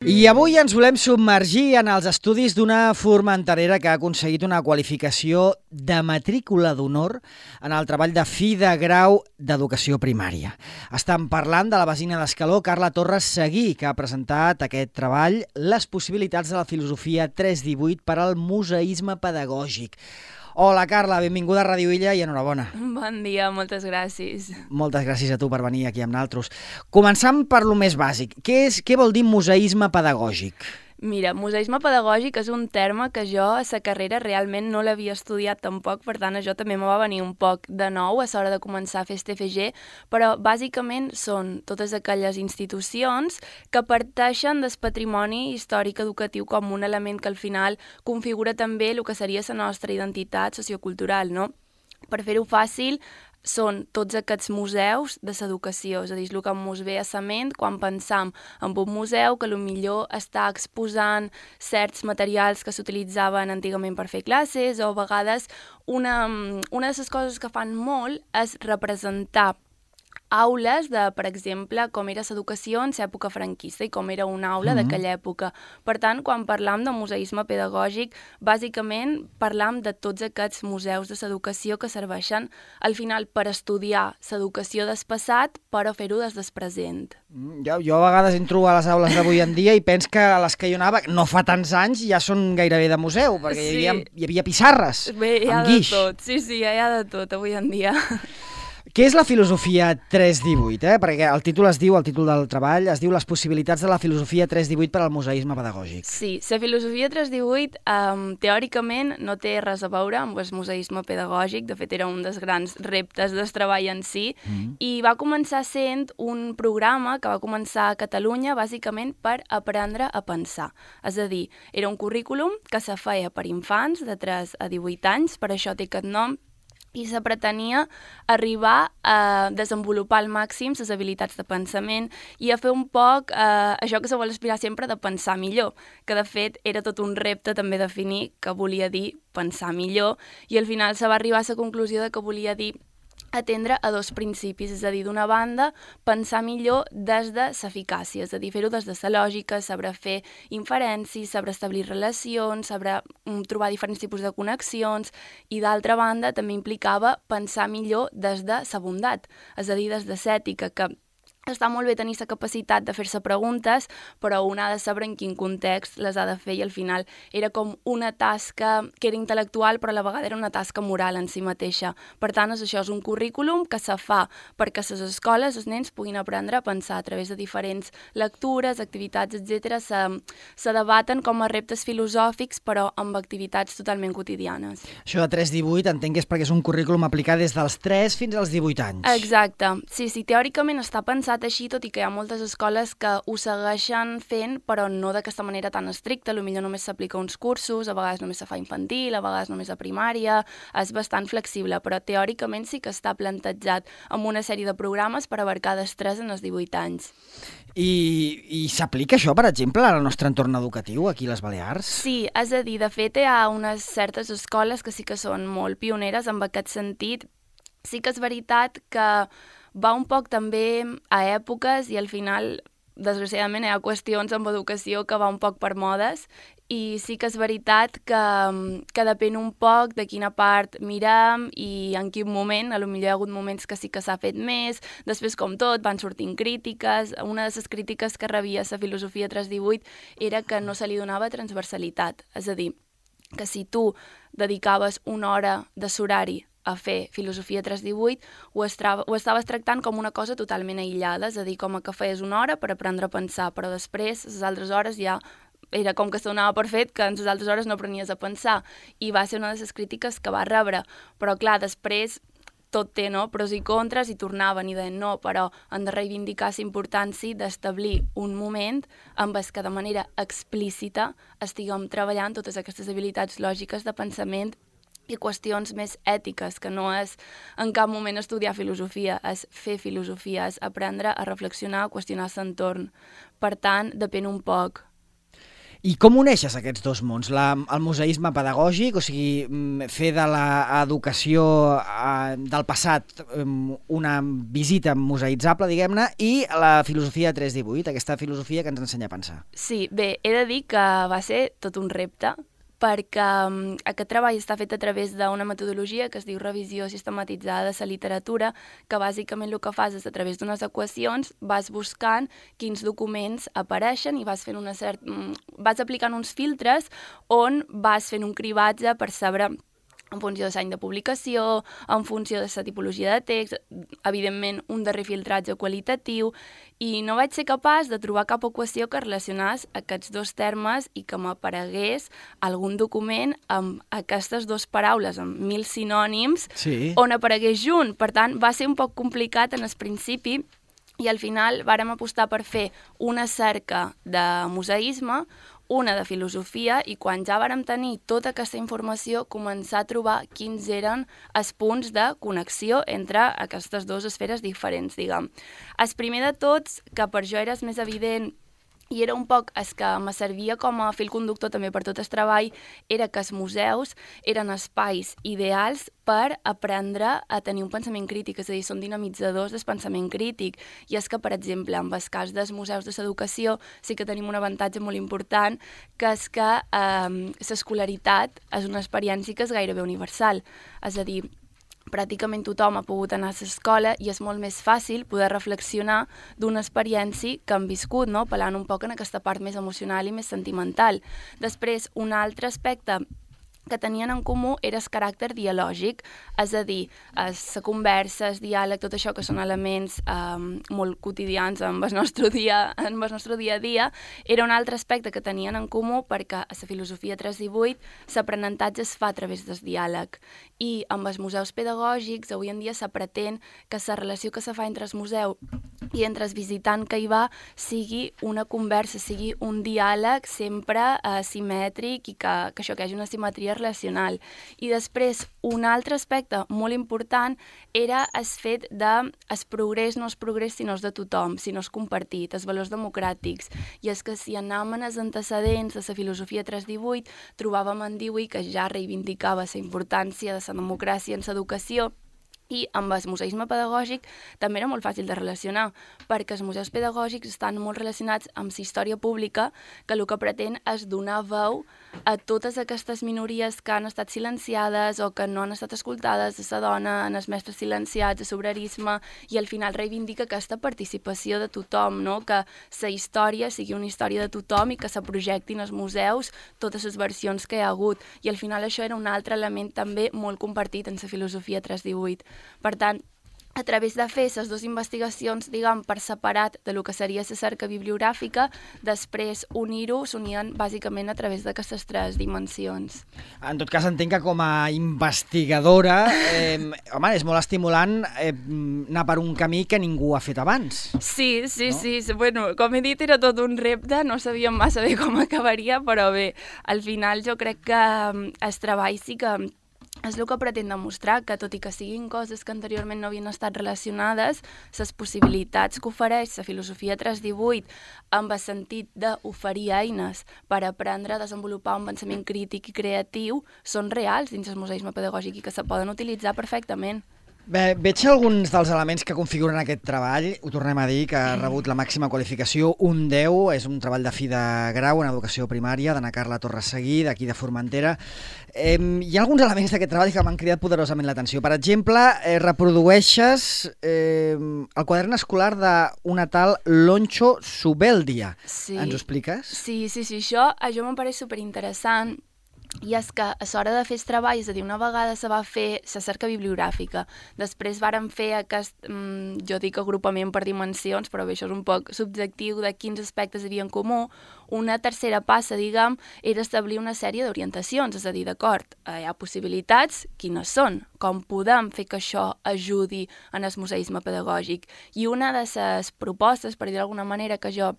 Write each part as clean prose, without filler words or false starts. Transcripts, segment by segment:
I avui ens volem submergir en els estudis d'una formenterera que ha aconseguit una qualificació de matrícula d'honor en el treball de fi de grau d'educació primària. Estem parlant de la veïna d'Escaló, Carla Torres Seguí, que ha presentat aquest treball, les possibilitats de la filosofia 318 per al museisme pedagògic. Hola, Carla, benvinguda a Ràdio Illa i enhorabona. Bon dia, moltes gràcies. Moltes gràcies a tu per venir aquí amb nosaltres. Començant per lo més bàsic. Què vol dir museisme pedagògic? Mira, museisme pedagògic és un terme que jo a la carrera realment no l'havia estudiat tampoc, per tant això també me va venir un poc de nou a l'hora de començar a fer este TFG, però bàsicament són totes aquelles institucions que parteixen del patrimoni històric educatiu com un element que al final configura també el que seria la nostra identitat sociocultural, no? Per fer-ho fàcil, són tots aquests museus de l'educació, és a dir, el que ens ve a la ment quan pensam en un museu que potser està exposant certs materials que s'utilitzaven antigament per fer classes, o a vegades una de les coses que fan molt és representar aules de, per exemple, com era l'educació en l'època franquista i com era una aula d'aquella època. Per tant, quan parlam de museisme pedagògic, bàsicament parlam de tots aquests museus de l'educació que serveixen al final per estudiar l'educació del passat, però fer-ho des del present. Jo a vegades entro a les aules d'avui en dia i penso que a les que jo anava, no fa tants anys, ja són gairebé de museu, perquè hi havia pissarres amb guix. Tot. Sí, hi ha de tot avui en dia. Què és la filosofia 318? Perquè el títol del treball es diu les possibilitats de la filosofia 318 per al museisme pedagògic. Sí, la filosofia 318 teòricament no té res a veure amb el museisme pedagògic, de fet era un dels grans reptes del treball en si, i va començar sent un programa que va començar a Catalunya bàsicament per aprendre a pensar. És a dir, era un currículum que se feia per infants de 3 a 18 anys, per això té aquest nom, i se pretenia arribar a desenvolupar al màxim les habilitats de pensament i a fer un poc això que se vol aspirar sempre de pensar millor, que de fet era tot un repte també definir què volia dir pensar millor, i al final se va arribar a la conclusió de que volia dir atendre a dos principis, és a dir, d'una banda, pensar millor des de l'eficàcia, és a dir, fer-ho des de la lògica, saber fer inferències, saber establir relacions, saber trobar diferents tipus de connexions, i d'altra banda també implicava pensar millor des de la bondat, és a dir, des de l'ètica, que està molt bé tenir la capacitat de fer-se preguntes, però un ha de saber en quin context les ha de fer, i al final era com una tasca que era intel·lectual, però a la vegada era una tasca moral en si mateixa. Per tant, això és un currículum que se fa perquè a les escoles els nens puguin aprendre a pensar a través de diferents lectures, activitats, etc. Se debaten com a reptes filosòfics, però amb activitats totalment quotidianes. Això de 3-18 entenc que és perquè és un currículum aplicat des dels 3 fins als 18 anys. Exacte. Sí, teòricament està pensat així, tot i que hi ha moltes escoles que ho segueixen fent, però no d'aquesta manera tan estricta. Potser només s'aplica uns cursos, a vegades només se fa infantil, a vegades només a primària, és bastant flexible, però teòricament sí que està plantejat amb una sèrie de programes per abarcar dels 3 en els 18 anys. I s'aplica això, per exemple, al nostre entorn educatiu, aquí a les Balears? Sí, és a dir, de fet hi ha unes certes escoles que sí que són molt pioneres en aquest sentit. Sí que és veritat que va un poc també a èpoques i al final, desgraciadament, hi ha qüestions amb educació que va un poc per modes, i sí que és veritat que depèn un poc de quina part mirem i en quin moment. Potser hi ha hagut moments que sí que s'ha fet més, després, com tot, van sortint crítiques. Una de les crítiques que rebia la filosofia 318 era que no se li donava transversalitat, és a dir, que si tu dedicaves una hora de l'horari a fer filosofia 318, ho estaves tractant com una cosa totalment aïllada, és a dir, com que feies una hora per aprendre a pensar, però després, les altres hores ja era com que es donava per fet que en les altres hores no aprenies a pensar, i va ser una de les crítiques que va rebre. Però clar, després tot té pros i contres, i tornaven i deien no, però han de reivindicar la importància d'establir un moment amb el que de manera explícita estiguem treballant totes aquestes habilitats lògiques de pensament i qüestions més ètiques, que no és en cap moment estudiar filosofia, és fer filosofia, és aprendre a reflexionar, a qüestionar l'entorn. Per tant, depèn un poc. I com uneixes aquests dos mons? El museisme pedagògic, o sigui, fer de l'educació del passat una visita museïtzable, diguem-ne, i la filosofia 318, aquesta filosofia que ens ensenya a pensar. Sí, bé, he de dir que va ser tot un repte, perquè aquest treball està fet a través d'una metodologia que es diu revisió sistematitzada de la literatura, que bàsicament el que fas és a través d'unes equacions vas buscant quins documents apareixen i vas aplicant uns filtres on vas fent un cribatge per saber en funció de l'any de publicació, en funció de la tipologia de text, evidentment un darrer filtratge qualitatiu, i no vaig ser capaç de trobar cap equació que relacionés aquests dos termes i que m'aparegués algun document amb aquestes dues paraules, amb 1000 sinònims, on aparegués junt. Per tant, va ser un poc complicat en el principi, i al final vàrem apostar per fer una cerca de museisme, una de filosofia, i quan ja vàrem tenir tota aquesta informació, començar a trobar quins eren els punts de connexió entre aquestes dues esferes diferents, diguem. El primer de tots, que per jo era el més evident, i era un poc el que me servia com a fil conductor també per tot el treball, era que els museus eren espais ideals per aprendre a tenir un pensament crític, és a dir, són dinamitzadors del pensament crític. I és que, per exemple, en el cas dels museus de l'educació sí que tenim un avantatge molt important, que és que l'escolaritat és una experiència que és gairebé universal. És a dir, pràcticament tothom ha pogut anar a l'escola i és molt més fàcil poder reflexionar d'una experiència que han viscut, no? Apel·lant un poc en aquesta part més emocional i més sentimental. Després, un altre aspecte que tenien en comú era el caràcter dialògic, és a dir, la conversa, el diàleg, tot això que són elements molt quotidians en el nostre dia a dia, era un altre aspecte que tenien en comú perquè a la filosofia 318 l'aprenentatge es fa a través del diàleg, i amb els museus pedagògics avui en dia se pretén que la relació que se fa entre el museu i entre el visitant que hi va sigui una conversa, sigui un diàleg sempre simètric i que això, que hi hagi una simetria relacional. I després, un altre aspecte molt important era el fet de el progrés no és progrés si no és de tothom, si no és compartit, els valors democràtics. I és que si anàvem en els antecedents de la filosofia 318, trobàvem en Dewey que ja reivindicava la importància de la democràcia en l'educació, i amb el museisme pedagògic també era molt fàcil de relacionar, perquè els museus pedagògics estan molt relacionats amb la història pública, que el que pretén és donar veu a totes aquestes minories que han estat silenciades o que no han estat escoltades, a la dona, en els mestres silenciats, a l'obrerisme, i al final reivindica aquesta participació de tothom, no? Que la història sigui una història de tothom i que se projectin als museus totes les versions que hi ha hagut. I al final això era un altre element també molt compartit en la filosofia 318. Per tant, a través de fer les dues investigacions, diguem, per separat de lo que seria la cerca bibliogràfica, després unir-ho, s'unien bàsicament a través d'aquestes tres dimensions. En tot cas, entenc que com a investigadora, home, és molt estimulant anar per un camí que ningú ha fet abans. Sí. Bueno, com he dit, era tot un repte, no sabíem massa bé com acabaria, però bé, al final jo crec que el treball sí que és el que pretén demostrar, que tot i que siguin coses que anteriorment no havien estat relacionades, les possibilitats que ofereix la filosofia 318 amb el sentit d'oferir eines per aprendre a desenvolupar un pensament crític i creatiu són reals dins el museisme pedagògic i que se poden utilitzar perfectament. Bé, veig alguns dels elements que configuren aquest treball. Ho tornem a dir, que ha rebut la màxima qualificació, un 10, és un treball de fi de grau en educació primària, d'Anna Carla Torresseguí, d'aquí de Formentera. Hi ha alguns elements d'aquest treball que m'han cridat poderosament l'atenció. Per exemple, reprodueixes el quadern escolar d'una tal Loncho Subeldia. Sí. Ens ho expliques? Sí, això em pareix superinteressant. I és que a l'hora de fer el treball, és a dir, una vegada se va fer la cerca bibliogràfica, després vàrem fer aquest, jo dic agrupament per dimensions, però bé, això és un poc subjectiu de quins aspectes hi havia en comú. Una tercera passa, diguem, era establir una sèrie d'orientacions, és a dir, d'acord, hi ha possibilitats, quines són? Com podem fer que això ajudi en el museisme pedagògic? I una de les propostes, per dir d'alguna manera, que jo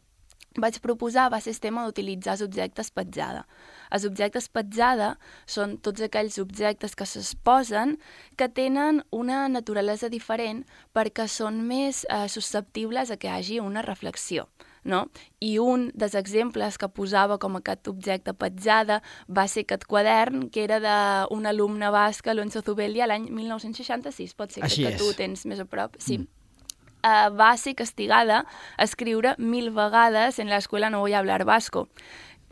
vaig proposar va ser el tema d'utilitzar els objectes petjada. Els objectes petjada són tots aquells objectes que s'exposen que tenen una naturalesa diferent perquè són més susceptibles a que hi hagi una reflexió. no? I un dels exemples que posava com aquest objecte petjada va ser aquest quadern, que era d'un alumne basc, Alonso Zubeldia, l'any 1966, pot ser que tu tens més a prop, sí. Va ser castigada a escriure 1000 vegades en l'escola no voy a hablar vasco.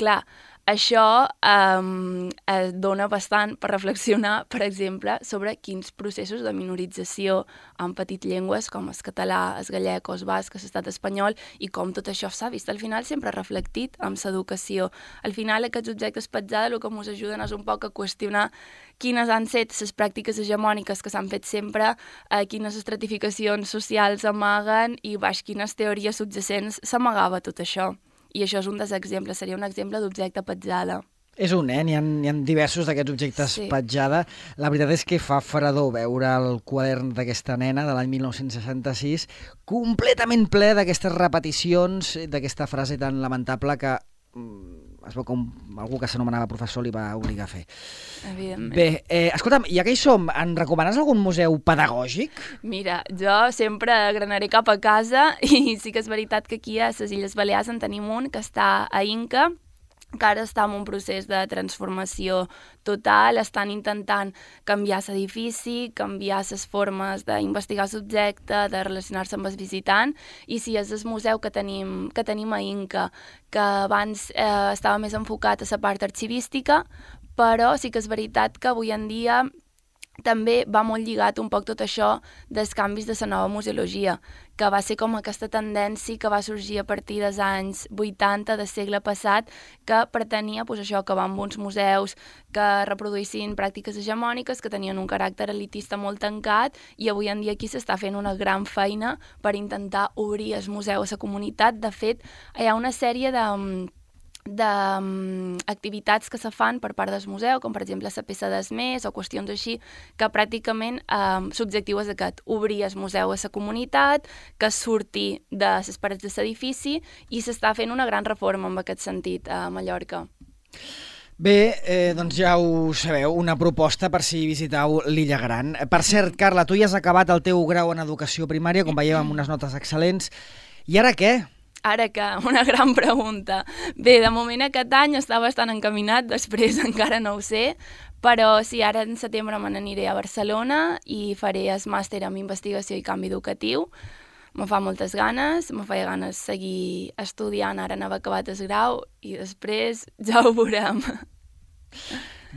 Clar, això dona bastant per reflexionar, per exemple, sobre quins processos de minorització han patit llengües com el català, el gallec o el basc, l'estat espanyol, i com tot això s'ha vist al final sempre reflectit amb l'educació. Al final aquests objectes petjada el que ens ajuden és un poc a qüestionar quines han estat les pràctiques hegemòniques que s'han fet sempre, quines estratificacions socials amaguen i baix quines teories subjacents s'amagava tot això. I això és un dels exemples, seria un exemple d'objecte petjada. És un, n'hi ha diversos d'aquests objectes petjada. La veritat és que fa fredor veure el quadern d'aquesta nena de l'any 1966 completament ple d'aquestes repeticions, d'aquesta frase tan lamentable que es veu com algú que s'anomenava professor li va obligar a fer. Evidentment. Bé, escolta'm, ja que hi som, en recomanes algun museu pedagògic? Mira, jo sempre granaré cap a casa i sí que és veritat que aquí a les Illes Balears en tenim un que està a Inca, que ara està en un procés de transformació total, estan intentant canviar l'edifici, canviar les formes d'investigar l'objecte, de relacionar-se amb el visitant, i sí, és el museu que tenim a Inca, que abans estava més enfocat a la part arxivística, però sí que és veritat que avui en dia també va molt lligat un poc tot això dels canvis de la nova museologia, que va ser com aquesta tendència que va sorgir a partir dels anys 80 del segle passat, que pretenia això, acabar amb uns museus que reproduïssin pràctiques hegemòniques, que tenien un caràcter elitista molt tancat, i avui en dia aquí s'està fent una gran feina per intentar obrir el museu a la comunitat. De fet, hi ha una sèrie d'activitats que se fan per part del museu, com per exemple la peça d'esmés o qüestions així, que pràcticament l'objectiu és aquest, obrir el museu a la comunitat, que surti de les parets de l'edifici, i s'està fent una gran reforma en aquest sentit a Mallorca. Bé, doncs ja ho sabeu, una proposta per si visiteu l'Illa Gran. Per cert, Carla, tu ja has acabat el teu grau en educació primària, com veiem amb unes notes excel·lents. I ara què? Ara que, una gran pregunta. Bé, de moment aquest any està bastant encaminat, després encara no ho sé, però sí, ara en setembre me n'aniré a Barcelona i faré el màster en investigació i canvi educatiu. Me fa moltes ganes, me feia ganes seguir estudiant ara en haver acabat el grau i després ja ho veurem.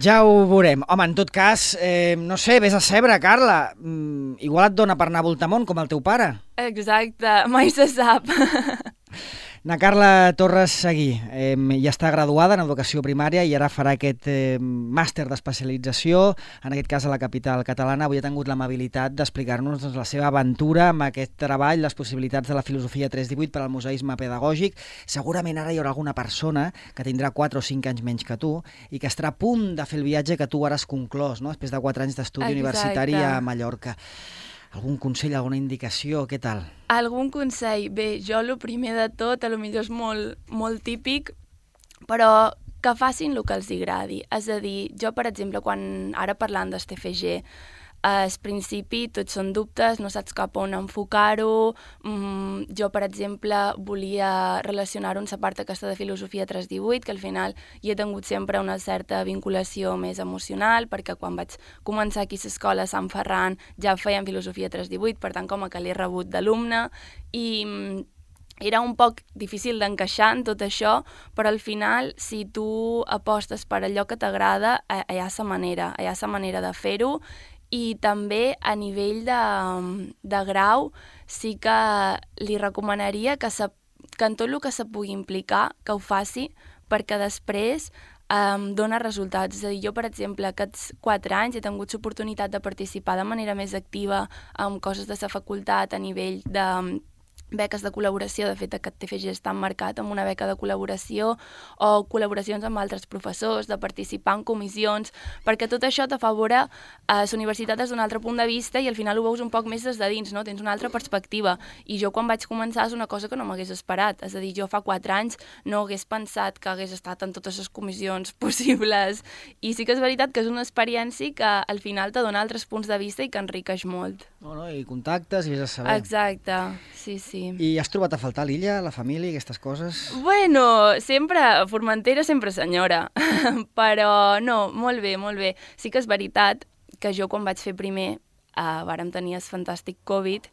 Ja ho veurem. Home, en tot cas, no sé, vés a saber, Carla. Igual et dona per anar a Voltamont, com el teu pare. Exacte, mai se sap. Na Carla Torres Seguí ja està graduada en educació primària i ara farà aquest màster d'especialització, en aquest cas a la capital catalana. Avui ha tingut l'amabilitat d'explicar-nos la seva aventura amb aquest treball, les possibilitats de la filosofia 318 per al museisme pedagògic. Segurament ara hi haurà alguna persona que tindrà 4 o 5 anys menys que tu i que estarà a punt de fer el viatge que tu ara has conclòs, no? Després de 4 anys d'estudi universitari a Mallorca. Algun consell, alguna indicació? Què tal? Algun consell? Bé, jo el primer de tot, potser és molt típic, però que facin el que els agradi. És a dir, jo, per exemple, ara parlant del TFG, al principi tots són dubtes, no saps cap on enfocar-ho. Jo, per exemple, volia relacionar-ho amb la part aquesta de filosofia 318, que al final hi he tingut sempre una certa vinculació més emocional, perquè quan vaig començar aquí a l'escola a Sant Ferran ja feien filosofia 318, per tant com que l'he rebut d'alumne, i era un poc difícil d'encaixar en tot això, però al final, si tu apostes per allò que t'agrada, hi ha la manera de fer-ho. I també a nivell de grau sí que li recomanaria que en tot el que se pugui implicar, que ho faci, perquè després dona resultats. És a dir, jo, per exemple, aquests 4 anys he tingut l'oportunitat de participar de manera més activa en coses de la facultat a nivell de beques de col·laboració. De fet, aquest TFG està emmarcat amb una beca de col·laboració o col·laboracions amb altres professors, de participar en comissions, perquè tot això t'afavora a la universitat des d'un altre punt de vista i al final ho veus un poc més des de dins, no? Tens una altra perspectiva. I jo quan vaig començar és una cosa que no m'hagués esperat. És a dir, jo fa 4 anys no hagués pensat que hagués estat en totes les comissions possibles. I sí que és veritat que és una experiència que al final te dona altres punts de vista i que enriqueix molt. I contactes i ja saber. Exacte, sí. sí. I has trobat a faltar l'illa, la família, aquestes coses? Bueno, sempre, Formentera sempre senyora, però no, molt bé, molt bé. Sí que és veritat que jo quan vaig fer primer vàrem tenir el fantàstic Covid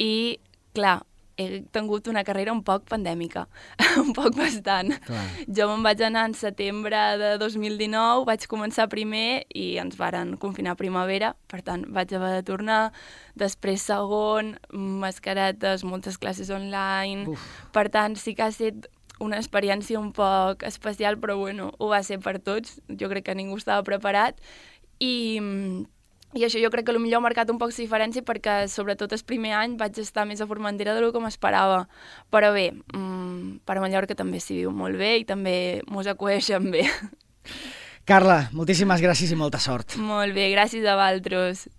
i, clar, he tingut una carrera un poc pandèmica, un poc bastant. Clar. Jo me'n vaig anar en setembre de 2019, vaig començar primer i ens varen confinar a primavera, per tant vaig haver de tornar, després segon, mascaretes, moltes classes online, per tant sí que ha estat una experiència un poc especial, però bueno, ho va ser per tots, jo crec que ningú estava preparat i això jo crec que potser ha marcat un poc la diferència perquè sobretot el primer any vaig estar més a Formentera del que m'esperava. Però bé, per Mallorca també s'hi viu molt bé i també mos acueixen bé. Carla, moltíssimes gràcies i molta sort. Molt bé, gràcies a vosaltres.